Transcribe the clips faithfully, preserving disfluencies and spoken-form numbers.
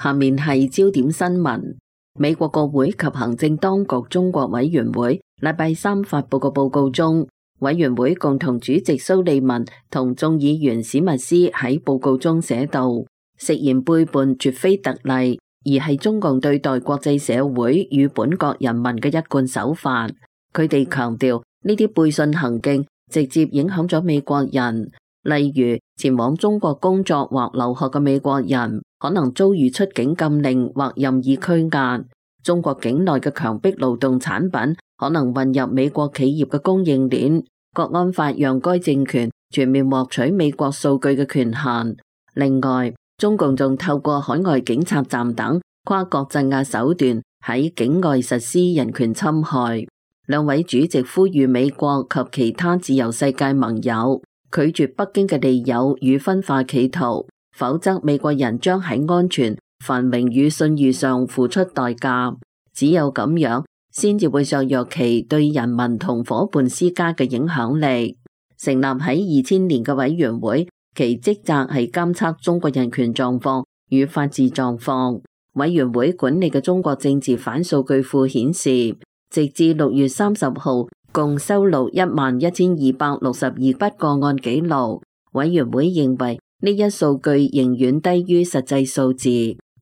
下面係焦點新聞。美國國會及行政當局中國委員會禮拜三發佈嘅報告中，委員會共同主席蘇利文同眾議員史密斯喺報告中寫道，食言背叛絕非特例，而係中共對待國際社會與本國人民嘅一貫手法。佢哋強調呢啲背信行徑直接影響咗美國人，例如前往中國工作或留學嘅美國人可能遭遇出境禁令或任意拘押，中國境內嘅強迫勞動產品可能混入美國企業嘅供應鏈，國安法讓該政權全面獲取美國數據嘅權限。另外，中共仲透過海外警察站等跨國鎮壓手段喺境外實施人權侵害。兩位主席呼籲美國及其他自由世界盟友拒絕北京嘅利誘與分化企圖，否則美國人將喺安全、繁榮與信譽上付出代價。只有咁樣，先至會削弱其對人民同夥伴施加嘅影響力。成立喺二千年嘅委員會，其職責係監測中國人權狀況與法治狀況。委員會管理嘅中國政治反數據庫顯示，直至六月三十號，共收錄一萬一千二百六十二筆個案記錄。委員會認為呢一數據仍遠低於實際數字。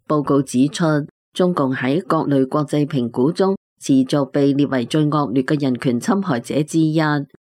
報告指出，中共喺各類國際評估中持續被列為最惡劣嘅人權侵害者之一。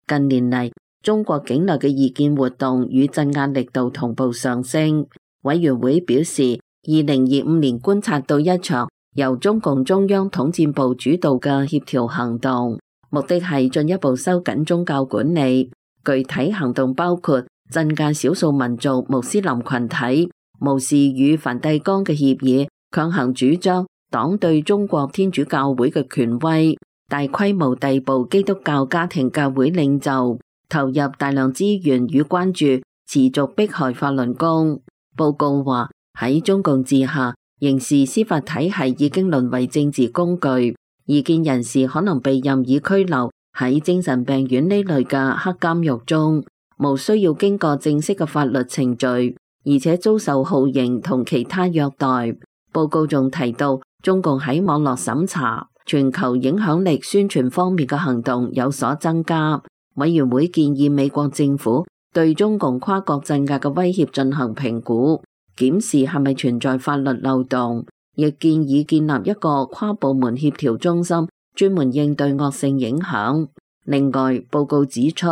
近年嚟，中國境內嘅異見活動與鎮壓力度同步上升。委員會表示，二零二五年觀察到一場由中共中央統戰部主導嘅協調行動，目的係進一步收緊宗教管理。具體行動包括鎮壓少數民族穆斯林群體，無視與梵蒂岡嘅協議，強行主張黨對中國天主教會嘅權威，大規模逮捕基督教家庭教會領袖，投入大量資源與關注，持續迫害法輪功。報告話，喺中共治下，刑事司法體系已經淪為政治工具，異見人士可能被任意拘留喺精神病院呢類嘅黑監獄中，無需要經過正式嘅法律程序，而且遭受酷刑同其他虐待。報告仲提到，中共喺網絡審查、全球影響力宣傳方面嘅行動有所增加。委員會建議美國政府對中共跨國鎮壓嘅威脅進行評估，檢視係咪存在法律漏洞，亦建議建立一個跨部門協調中心，專門應對惡性影響。另外，報告指出，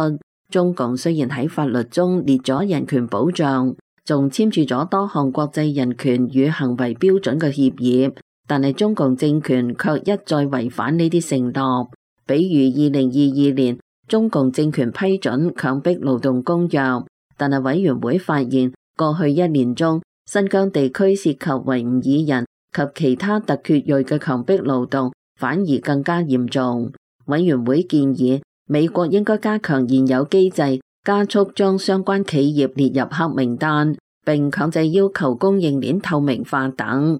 中共雖然喺法律中列咗人權保障，仲簽署咗多項國際人權與行為標準嘅協議，但係中共政權卻一再違反呢啲承諾。比如二零二二年，中共政權批准強迫勞動公約，但係委員會發現過去一年中，新疆地區涉及維吾爾人及其他突厥裔嘅強迫勞動反而更加嚴重。委員會建議美國應該加強現有機制，加速將相關企業列入黑名單，並強制要求供應鏈透明化等。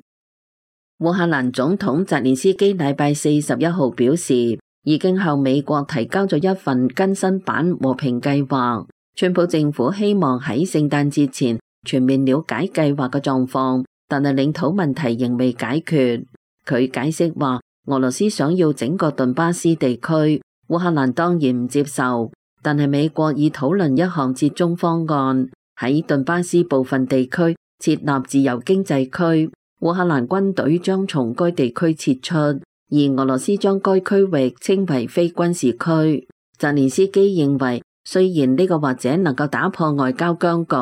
烏克蘭總統澤連斯基禮拜四十一號表示，已經向美國提交咗一份更新版和平計劃。川普政府希望喺聖誕節前全面了解計劃嘅狀況，但係領土問題仍未解決。佢解釋話，俄羅斯想要整個頓巴斯地區，烏克蘭當然唔接受，但係美國已討論一項折中方案，喺頓巴斯部分地區設立自由經濟區，烏克蘭軍隊將從該地區撤出，而俄羅斯將該區域稱為非軍事區。澤連斯基認為，雖然呢個或者能夠打破外交僵局，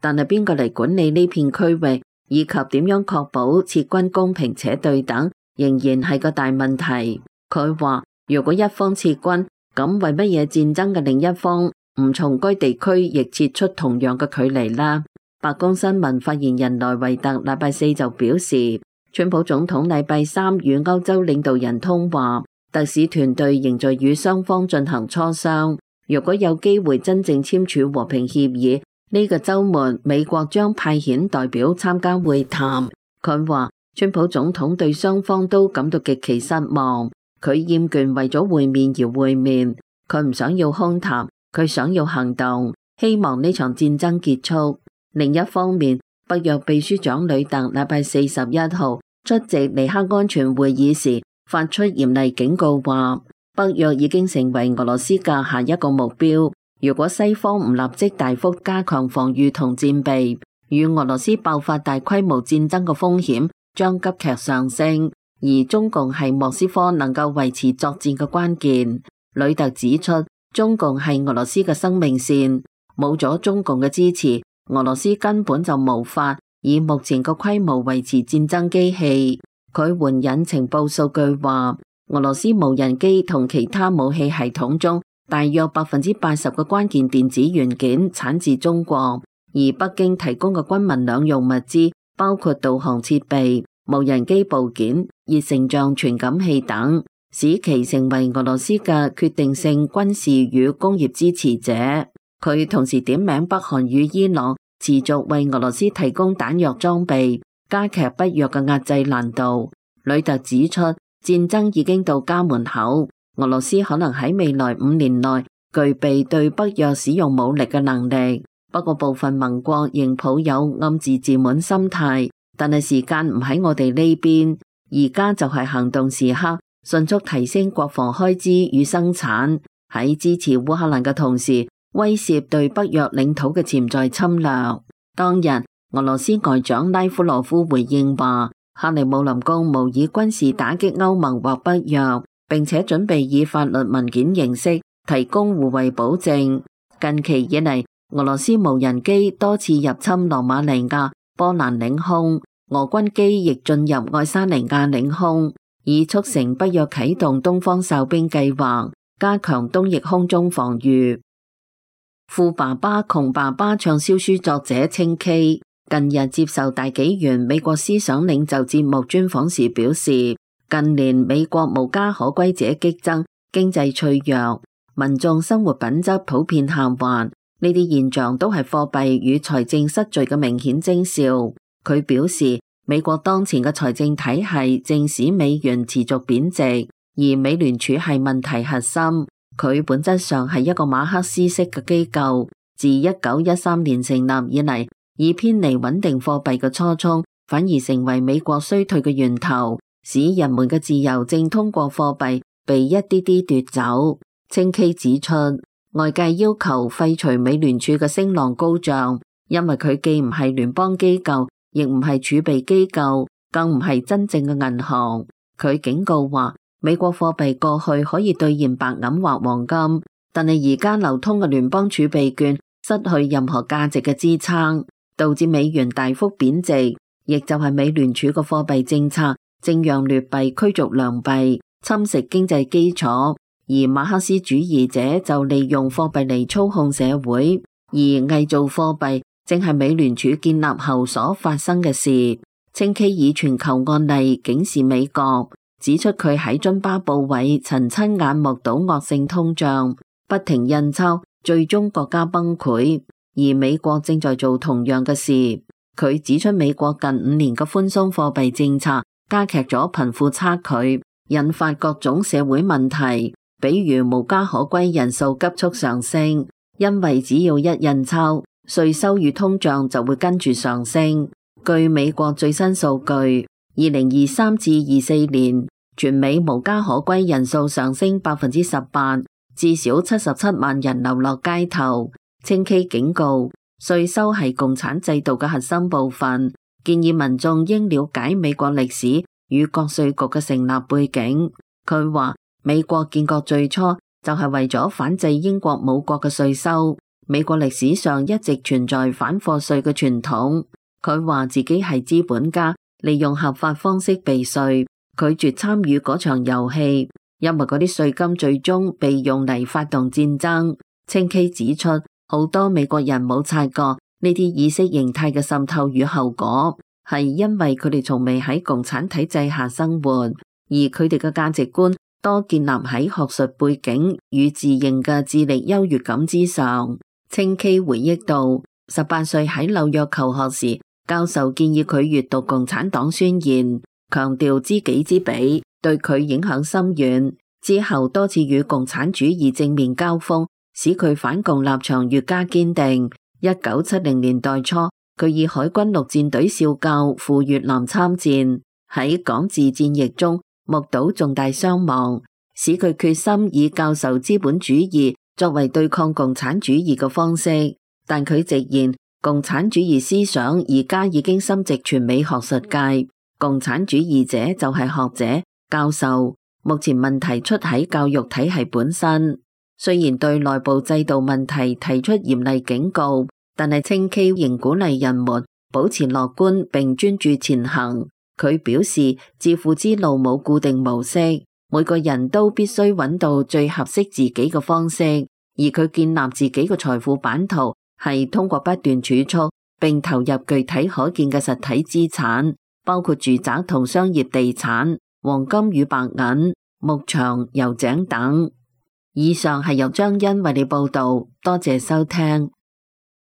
但係邊個嚟管理呢片區域，以及點樣確保撤軍公平且對等，仍然係個大問題。佢話，如果一方撤軍，咁為乜嘢戰爭嘅另一方唔從該地區亦撤出同樣嘅距離呢？白宮新聞發言人萊維特禮拜四就表示，川普總統禮拜三與歐洲領導人通話，特使團隊仍在與雙方進行磋商。如果有機會真正簽署和平協議，呢個週末美國將派遣代表參加會談。佢話，川普總統對雙方都感到極其失望，佢厭倦為咗會面而會面，佢唔想要空談，佢想要行動，希望呢場戰爭結束。另一方面，北約秘書長呂特禮拜四十一號出席尼克安全會議時，發出嚴厲警告話，北約已經成為俄羅斯嘅下一個目標。如果西方唔立即大幅加強防禦同戰備，與俄羅斯爆發大規模戰爭嘅風險將急劇上升。而中共係莫斯科能夠維持作戰嘅關鍵。呂特指出，中共係俄羅斯嘅生命線，冇咗中共嘅支持，俄羅斯根本就無法以目前嘅規模維持戰爭機器。佢援引情報數據話，俄羅斯無人機同其他武器系統中，大約百分之八十嘅關鍵電子元件產自中國，而北京提供嘅軍民兩用物資包括導航設備、無人機部件、熱成像傳感器等，使其成為俄羅斯嘅決定性軍事與工業支持者。佢同時點名北韓與伊朗持續為俄羅斯提供彈藥裝備，加劇北約嘅壓制難度。呂特指出，戰爭已經到家門口，俄羅斯可能喺未來五年內具備對北約使用武力嘅能力。不過部分盟國仍抱有暗自自滿心態，但係時間唔喺我哋呢邊，而家就係行動時刻，迅速提升國防開支與生產，喺支持烏克蘭嘅同時，威懾對北約領土嘅潛在侵略。當日，俄羅斯外長拉夫羅夫回應話，克里姆林宮無意軍事打擊歐盟或北約，並且準備以法律文件形式提供互惠保證。近期以嚟，俄羅斯無人機多次入侵羅馬尼亞、波蘭領空，俄軍機亦進入愛沙尼亞領空，以促成北約啟動東方哨兵計劃，加強東翼空中防禦。富爸爸窮爸爸暢銷書作者清崎近日接受大紀元美國思想領袖節目專訪時表示，近年美國無家可歸者激增，經濟脆弱，民眾生活品質普遍下滑，呢啲現象都係貨幣與財政失序嘅明顯徵兆。佢表示，美國當前嘅財政體系正使美元持續貶值，而美聯儲係問題核心。佢本質上係一個馬克思式嘅機構，自一九一三年成立以嚟，以偏離穩定貨幣嘅初衷，反而成為美國衰退嘅源頭，使人們嘅自由正通過貨幣被一啲啲奪走。清崎指出，外界要求廢除美聯儲嘅聲浪高漲，因為佢既唔係聯邦機構，亦唔係儲備機構，更唔係真正嘅銀行。佢警告話，美國貨幣過去可以兌現白銀或黃金，但係而家流通嘅聯邦儲備券失去任何價值嘅支撐，導致美元大幅貶值，亦就係美聯儲嘅貨幣政策正讓劣幣驅逐良幣，侵蝕經濟基礎。而馬克思主義者就利用貨幣嚟操控社會，而偽造貨幣正係美聯儲建立後所發生嘅事。清崎以全球案例警示美國，指出佢喺津巴布韋曾親眼目睹惡性通脹，不停印鈔，最終國家崩潰，而美國正在做同樣嘅事。佢指出美國近五年嘅寬鬆貨幣政策加劇咗貧富差距，引發各種社會問題，比如無家可歸人數急速上升，因為只要一印鈔，稅收與通脹就會跟住上升。據美國最新數據，二零二三至二四年，全美無家可歸人數上升百分之十八，至少七十七萬人流落街頭。清崎警告，稅收係共產制度嘅核心部分，建議民眾應了解美國歷史與國稅局嘅成立背景。佢話，美國建國最初就係為咗反制英國母國嘅稅收，美國歷史上一直存在反課稅嘅傳統。佢話自己係資本家，利用合法方式避稅，拒絕參與嗰場遊戲，因為嗰啲稅金最終被用嚟發動戰爭。清崎指出，好多美國人冇察覺呢啲意識形態嘅滲透與後果，係因為佢哋從未喺共產體制下生活，而佢哋嘅價值觀多建立喺學術背景與自認嘅智力優越感之上。清崎回憶到，十八歲喺紐約求學時，教授建議佢閱讀共產黨宣言，強調知己知彼，對佢影響深遠。之後多次與共產主義正面交鋒，使佢反共立場越加堅定。一九七零年代初，佢以海軍陸戰隊少校赴越南參戰，喺廣治戰役中目睹重大傷亡，使佢決心以教授資本主義作為對抗共產主義嘅方式。但佢直言，共產主義思想而家已經深植全美學術界，共產主義者就係學者、教授。目前問題出喺教育體系本身，雖然對內部制度問題提出嚴厲警告，但係稱譏仍鼓勵人們保持樂觀並專注前行。佢表示，致富之路冇固定模式，每個人都必須揾到最合適自己嘅方式，而佢建立自己嘅財富版圖係通過不斷儲蓄並投入具體可見嘅實體資產，包括住宅同商業地產、黃金與白銀、牧場、油井等。以上係由張欣為你報道，多謝收聽。